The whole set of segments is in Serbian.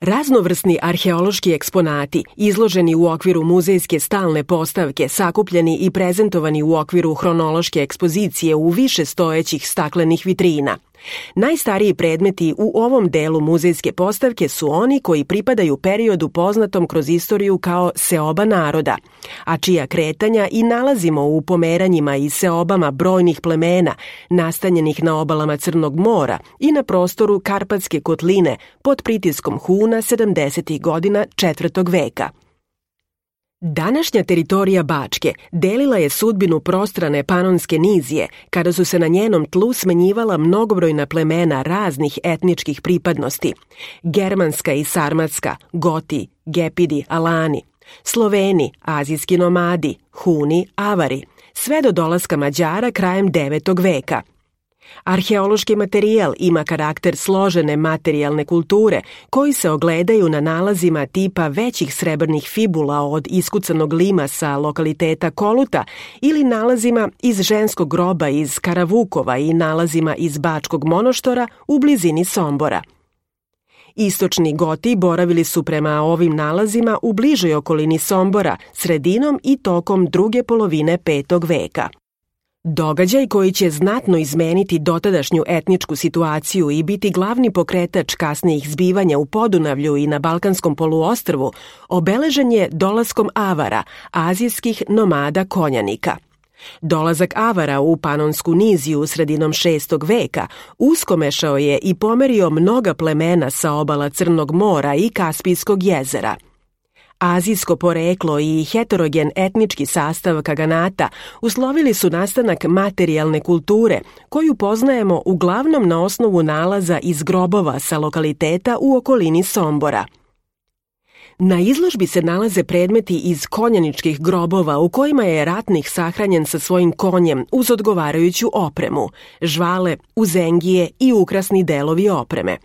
Raznovrsni arheološki eksponati, izloženi u okviru muzejske stalne postavke, sakupljeni i prezentovani u okviru hronološke ekspozicije u više stojećih staklenih vitrina. Najstariji predmeti u ovom delu muzejske postavke su oni koji pripadaju periodu poznatom kroz istoriju kao seoba naroda, a čija kretanja i nalazimo u pomeranjima i seobama brojnih plemena nastanjenih na obalama Crnog mora i na prostoru Karpatske kotline pod pritiskom Huna 70. godina 4. veka. Današnja teritorija Bačke delila je sudbinu prostrane Panonske nizije, kada su se na njenom tlu smenjivala mnogobrojna plemena raznih etničkih pripadnosti: germanska i sarmatska, Goti, Gepidi, Alani, Sloveni, azijski nomadi, Huni, Avari, sve do dolaska Mađara krajem 9. veka. Arheološki materijal ima karakter složene materijalne kulture koji se ogledaju na nalazima tipa većih srebrnih fibula od iskucanog lima sa lokaliteta Koluta ili nalazima iz ženskog groba iz Karavukova i nalazima iz Bačkog monoštora u blizini Sombora. Istočni Goti boravili su prema ovim nalazima u bližoj okolini Sombora sredinom i tokom druge polovine 5. veka. Događaj koji će znatno izmeniti dotadašnju etničku situaciju i biti glavni pokretač kasnijih zbivanja u Podunavlju i na Balkanskom poluostrvu obeležen je dolaskom Avara, azijskih nomada konjanika. Dolazak Avara u Panonsku niziju sredinom 6. veka uskomešao je i pomerio mnoga plemena sa obala Crnog mora i Kaspijskog jezera. Azijsko poreklo i heterogen etnički sastav kaganata uslovili su nastanak materijalne kulture, koju poznajemo uglavnom na osnovu nalaza iz grobova sa lokaliteta u okolini Sombora. Na izložbi se nalaze predmeti iz konjaničkih grobova u kojima je ratnik sahranjen sa svojim konjem uz odgovarajuću opremu, žvale, uzengije i ukrasni delovi opreme.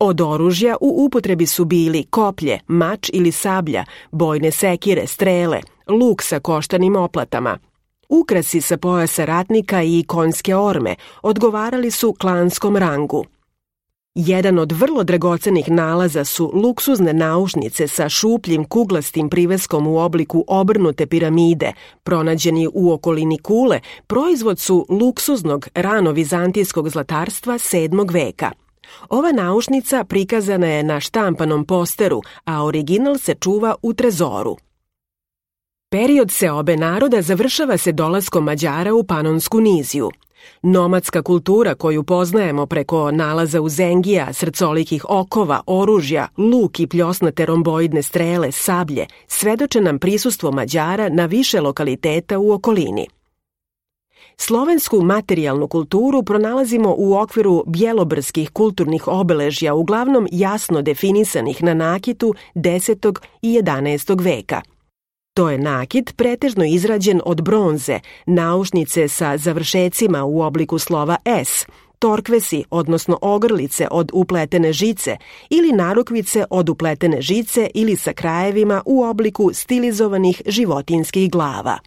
Od oružja u upotrebi su bili koplje, mač ili sablja, bojne sekire, strele, luk sa koštanim oplatama. Ukrasi sa pojasa ratnika i konjske orme odgovarali su klanskom rangu. Jedan od vrlo dragocenih nalaza su luksuzne naušnice sa šupljim kuglastim priveskom u obliku obrnute piramide, pronađeni u okolini Kule, proizvod su luksuznog rano-vizantijskog zlatarstva 7. veka. Ova naušnica prikazana je na štampanom posteru, a original se čuva u trezoru. Period seobe naroda završava se dolaskom Mađara u Panonsku niziju. Nomadska kultura koju poznajemo preko nalaza uzengija, srcolikih okova, oružja, luk i pljosnate romboidne strele, sablje, svedoče nam prisustvo Mađara na više lokaliteta u okolini. Slovensku materijalnu kulturu pronalazimo u okviru bjelobrdskih kulturnih obeležja, uglavnom jasno definisanih na nakitu 10. i 11. veka. To je nakit pretežno izrađen od bronze, naušnice sa završecima u obliku slova S, torkvesi, odnosno ogrlice od upletene žice ili narukvice od upletene žice ili sa krajevima u obliku stilizovanih životinjskih glava.